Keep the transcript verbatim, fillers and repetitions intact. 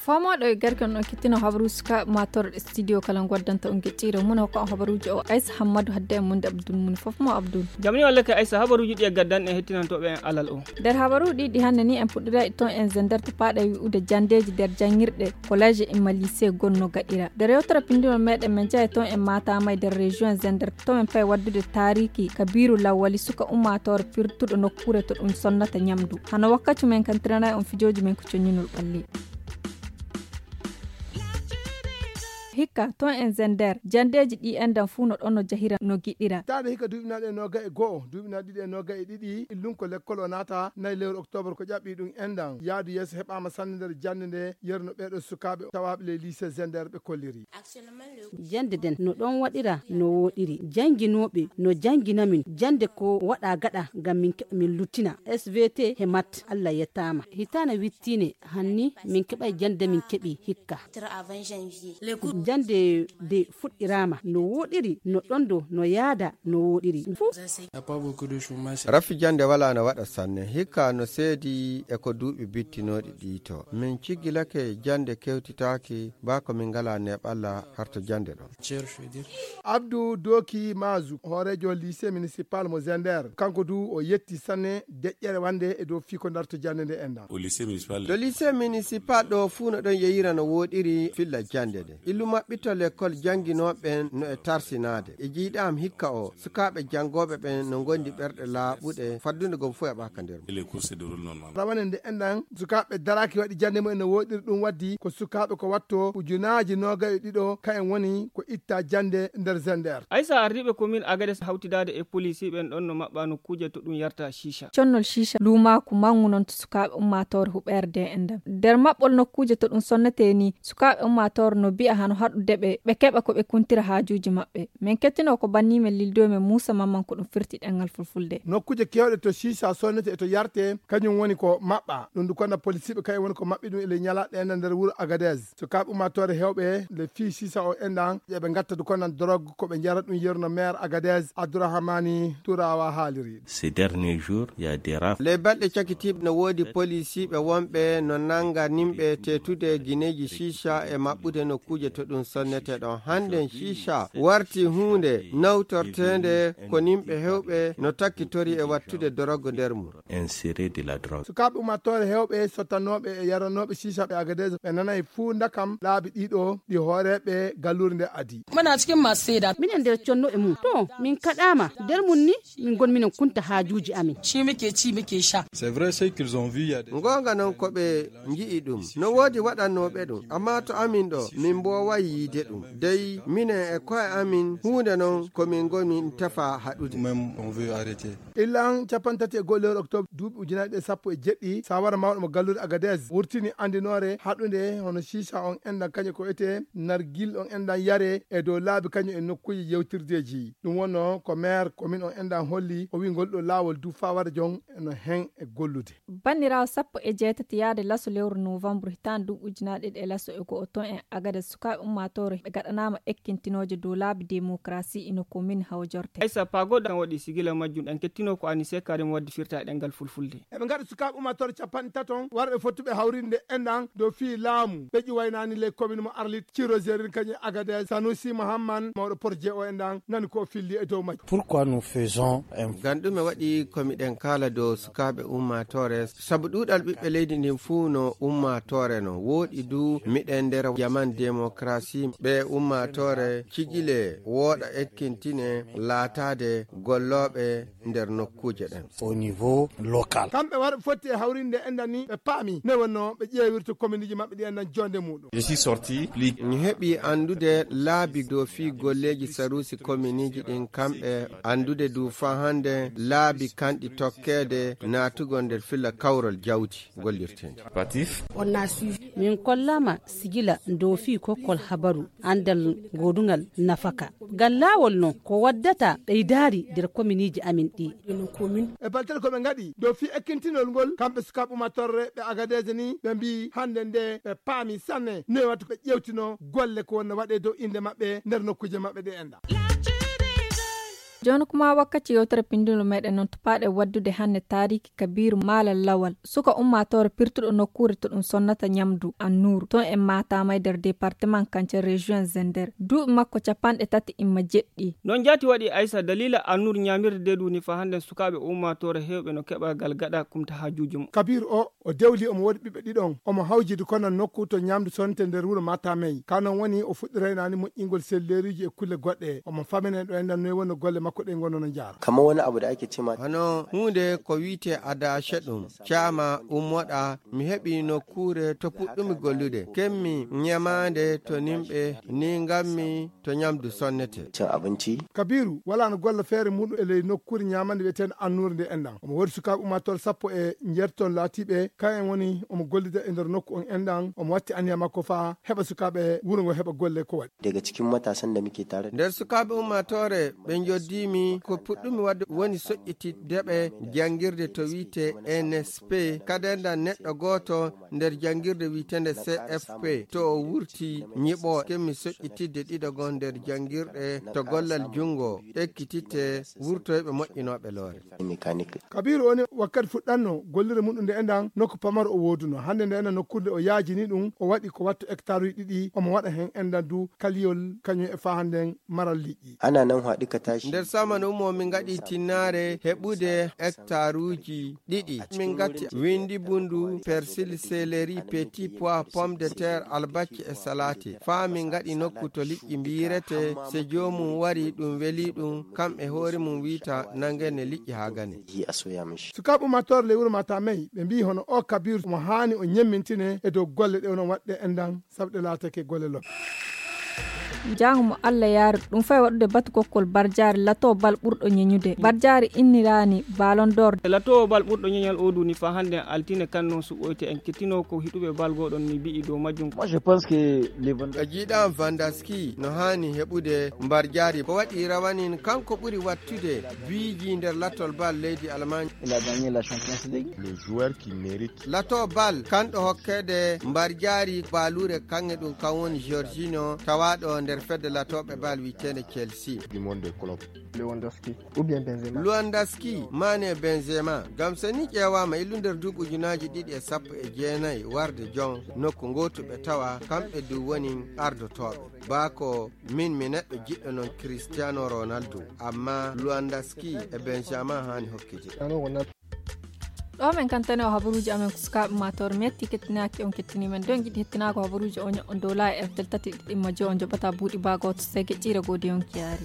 Faamooɗo e garke on kettino habaruuji sukaaɓe maa torɗe studio kala ngoddanta on geccire mum ko habaruuji o Aisa Hammadu hadde e munde Abdul mum fof mo Abdul. Jamni walla ke Aisa habaruuji ɗi e gaddan e hettinantooɓe en alal o. Nder habaruuji ɗi hannde ni en puɗɗiray toon en zender to paaɗe wi'ude janndeeji nder janngirɗe collège e ma lycée gonno gaɗira. Nder yewtere pinndinol meɗen men jahay toon en maatama e nder région zender to men pay waddude taariki kabiru lawwali suka ummaatoore pirtuɗo nokkuure to ɗum sonnata ñamdu. Hano wakkati men kantiranay on fijooji men ko coññinol ɓalli. Hikka toon en zender janndeeji ɗi enɗan fuu no ɗon no jahira no giɗira. Taade hikka duuɓinaaɗe e noga e go'o, duuɓinaaɗe ɗiɗi e noga e ɗiɗi, illunko lekkol o naata nayi lewru oktoobar ko ƴaɓɓi ɗum enɗan. Yaadu yeeso heɓaama sanne nder jannde nde yerno ɓeeɗo sukaaɓe tawaaɓe ley lycée zender ɓe kolliri. Jannde nden no ɗon waɗira no wooɗiri. Jannginooɓe no janngina min jannde ko waɗa gaɗa ngam min keɓa min luttina. S V T he mat Allah yettaama. Hitaana wittiine hanni min keɓay jannde min keɓi hikka. Jannde de fuɗɗiraama no wooɗiri no ɗon do no yaada no wooɗiri. Fuu. Raffi jannde walaa no waɗa sanne. Hikka no seedi e ko duuɓi bittinooɗi ɗi to. Min ciggilake jannde kewtitaaki baa ko min ngalaa neeɓalla harto jannde ɗon. Abdou Doki Mazu, hooreejo lycée municipal mo Zender, kanko du o yetti sanne deƴƴere wande e dow fii ko darto jannde nde enɗan. To lycée municipal ɗo fuu no ɗon yeyira no wooɗiri filla jannde nde. Illu maɓɓito lekkol jannginooɓe ɓen no e tarsinaade. E jiiɗaam hikka o, sukaaɓe janngooɓe ɓen no ngondi ɓerɗe laaɓuɗe, faddude gom fof e ɓaaka nder mum. Rawane nde enɗan, sukaaɓe daraaki waɗi jannde mumen no wooɗiri, ɗum waddi ko sukaaɓe ko watto ujunaaji noogay e ɗiɗo, ka en woni ko itta jannde nder Zender. Aysa ardiiɓe commune Agades hawtidaade e police ɓen ɗon no maɓɓa nokkuuje to ɗum yarta shisha. Connol shisha luumaaku manngu non to sukaaɓe ummaatoore huɓeerde e enɗan. Nder maɓɓol nokkuuje to ɗum sonnetee ni, sukaaɓe ummaatoore no bi'a hano haɗude ɓe, ɓe keɓa ko ɓe kuntira haajuuji maɓɓe. Min kettinoo ko bannii men lildoy men Muusa Mamman ko ɗum firti ɗemngal fulfulde. Nokkuuje keewɗe to shisha sonnetee e to yartee, kañum woni ko maɓɓa. Ɗum du konna polisiiɓe kañum woni ko maɓɓi ɗum e ley ñalaaɗe enɗan nder wuro Agadez. Sukaaɓe ummaatoore heewɓe le fii shisha o enɗan, eɓe ngatta du konnan dorog ko ɓe njara ɗum, yerno maire Agadez Abdourahamani Turawa haaliri. Ces derniers jours, il y a des rafles. Ley balɗe cakitiiɓe no woodi polisiiɓe wonɓe no nannga nimɓe teetude gineeji shisha e maɓɓude nokkuuje to ɗum sonnetee ɗon. Hannden shisha warti huunde nawtorteende ko nimɓe heewɓe no takkitori e wattude dorogo nder mum. Insérer de la drogue. Sukaaɓe ummaatoore heewɓe sottanooɓe e yaranooɓe shisha ɓe Agadez ɓe nanay fuu ndakam laabi ɗiɗo ɗi hooreeɓe galluure nde adi. Muna cikin masu saida. Minen nder conno e mum. To, min kaɗaama. Nder mum ni, min ngon minen kunta haajuuji amin. Shi muke ci, muke sha. C'est vrai, ce qu'ils ont vu, il y a des... Ngoonga non ko ɓe nji'i ɗum. No woodi waɗannooɓe ɗum. Ammaa to amin ɗo, min mbooway yiide ɗum. Dey, minen e ko'e amin, huunde non ko min ngoni tefa haɗude. Même, on veut arrêter. Illan capanɗe tati e go'o lewru oktoobar duuɓi ujunaaji ɗiɗi e sappo e jeɗɗi, sawara mawɗo mo galluure Agadez wurtini anndinoore haɗunde hono shisha on enɗan kañum ko etee nargil on enɗan yaree e dow laabi kañum e nokkuuje yewtirdeeji. Ɗum wonno ko maire commune on enɗan holli, o wi'i ngol ɗo laawol du faa wara jon eno hen e gollude. Banniraawo sappo e jeetati yaade laso lewru novembre hitaande duuɓi ujunaaji ɗiɗi e laso e go'o toon e Agadez sukaaɓe ummaatoore ɓe gaɗanaama ekkintinooje dow laabi demokarasi ino commune Hawjorte. Aysa Pago ɗan waɗi sigila majjum ɗan kettinoo ko Anise Karim waddi firta e ɗemngal fulfulde. Eɓe ngaɗa sukaaɓe ummaatoore capanɗe taton warɓe fottuɓe hawrinde enɗan dow fii laamu ɓe ƴuwaynaani ley commune mo Arlit, Ciro Zerin kañum e Agadez, Sanusi Mahamman mawɗo projet o enɗan nani ko o filli e dow majjum. Pourquoi nous faisons un... Ngam ɗume waɗi ko miɗen kaala dow sukaaɓe ummaatoore? Sabu ɗuuɗal ɓiɓɓe leydi ndin fuu no ummaatoore no. Wooɗi du miɗen nder jaman demokarasi. Ɓe ummaatoore cigile wooɗa ekkintine laataade gollooɓe nder nokkuuje ɗen. Au niveau local. Kamɓe warɓe fotti e hawrinde enɗan ni ɓe paami ne wonno ɓe ƴeewirta kominiiji maɓɓe ɗi enɗan jonde muɗum. Je suis sorti. Mi heɓi anndude laabi dow fii golleeji saruusi kominiiji ɗin, kamɓe anndude du faa hannde laabi kanɗi tokkeede naatugol nder filla kawral jawdi gollirteendi. Patif. Min kollaama sigila dow fii kokkol habaru anndal goodungal nafaka. Ngal laawol non ko waddata ɓeydaari nder kominiiji amin ɗi. E balɗe ko ɓe ngaɗi dow fii ekkintinol ngol, kamɓe sukaaɓe ummaatoore ɓe Agadez ni, ɓe mbii hannde nde ɓe paami sanne ne watta ɓe ƴeewtino golle ko wonno waɗee dow innde maɓɓe nder nokkuuje maɓɓe ɗe enɗan. Jooni kuma wakkati yewtere pinndinol meɗen noon to paaɗe waddude hannde taariki Kabiru Maala Lawal, suka ummaatoore pirtuɗo nokkuure to ɗum sonnata ñamdu Annuuru toon e Matamay nder département Kance région Zender. Duuɓi makko capanɗe tati imma jeɗɗi. Noon jaati waɗi Aysa daliila Annuuru ñaamirde nde ɗum ni fa hannde sukaaɓe ummaatoore heewɓe no keɓa gal gaɗa kumta haajuuji mum. Kabiru o, o dewli omo woodi ɓiɓɓe ɗiɗon. Omo hawjidi kono nokku to ñamdu sonnete nder wuro Matamay. Ka noon woni o fuɗɗiraynaani moƴƴingol selleeruuji e kulle goɗɗe. Omo famine ɗo enɗan noy woni golle makko ɗe ngono no jaara. Kamar wani abu da ake cema. Hano huunde ko wi'ete adaashe ɗum. Caama ummoɗa mi heɓi nokkuure to puɗɗumi gollude. Kemmi ñamaande to nimɓe ni ngammi to ñamdu sonnete. Cin abinci. Kabiru wala no golla feere muɗum e ley nokkuure ñamande wi'eteende Annuuru nde enɗan. Omo woodi sukaaɓe ummaatoore sappo e njeeto laatiiɓe. Kayen woni omo gollida e nder nokku on enɗan. Omo watti aniya makko fa heɓa sukaaɓe wuro ngo heɓa golle ko waɗi. Daga cikin matasan da muke tare. Nder sukaaɓe ummaatoore ɓe njoddiimi ko puɗɗumi waɗde woni soƴƴitidde ɓe janngirde to wi'ete N S P. Kadendan neɗɗo gooto nder janngirde wi'eteende C F P to o wurti ñiɓo kemmi soƴƴitidde ɗiɗo goo nder janngirɗe to gollal junngo ekkititte wurtoyɓe moƴƴinooɓe loore. Mécanique. Kabiru oni wakkati fuɗɗanno gollire muɗum nde enɗan nokku pamaro o wooduno. Hannde nde enɗan nokkuure o yaajini ɗum o waɗi ko wattu hectare uji ɗiɗi omo waɗa heen enɗan du kaliyol kañum e fa hannden maral liƴƴi. Ana nan haɗu ka tashi. Nder samanu mo min ngaɗi tinnaare heɓude hectare uji ɗiɗi. Min ngati windi bundu, persil, céleri, petit pois, pomme de terre, albacci e salati. Fa min ngaɗi nokku to liƴƴi mbiyirete, se joomum wari ɗum weli ɗum, kam e hoore mum wiita nangene liƴƴi haa gane. Yi a soya mishi. Sukaaɓe ummaatoore ley wuro Matamay ɓe mbiyi hono o Kabiru mo haani o ñemmintine e dow golle ɗe onon waɗɗe enɗan sabu ɗe laatake golle lobbe. Jaango mo Allah yaari ɗum fay waɗude batu kokkol barjaari lato bal ɓurɗo ñeñude. Barjaari inniraani Ballon d'Or. Lato bal ɓurɗo ñeñal o duni fa hannde altine kan noon suɓoyte en kettino ko hiɗuɓe bal goɗon ni mbi'i dow majjum. Moi, je pense que les Van- A jiiɗa Vandaski no haani heɓude mbarjaari ko waɗi rawanin kanko ɓuri wattude biiji nder latol bal leydi Allemagne. Il a gagné la Champions League. Le joueur qui mérite. Lato bal kanɗo hokkede mbarjaari baalure kaŋŋe ɗum kan woni Jorginho tawaaɗo nder fedde latooɓe bal wi'eteende Chelsea. Du monde des clubs. Lewandowski ou bien Benzema. Lewandowski, Mane, Benzema. Ngam so ni ƴeewaama illu nder duuɓi ujunaaji ɗiɗi e sappo e jeenayi warde jon nokku ngootu ɓe tawa kamɓe du woni ardotooɓe. Baa ko min mi neɗɗo jiɗɗo noon Cristiano Ronaldo, amma Lewandowski e Benzema haani hokkede. Cristiano Ronaldo. Ɗo men kantane o habaruuji amen ko sukaaɓe maatoore metti kettinaaki on kettini men don giɗi hettinaako habaruuji o ño'on dow laayi F Del tati ɗiɗi majjo on joɓata buuɗi baa gooto sege ƴiire goodi yonki yaari.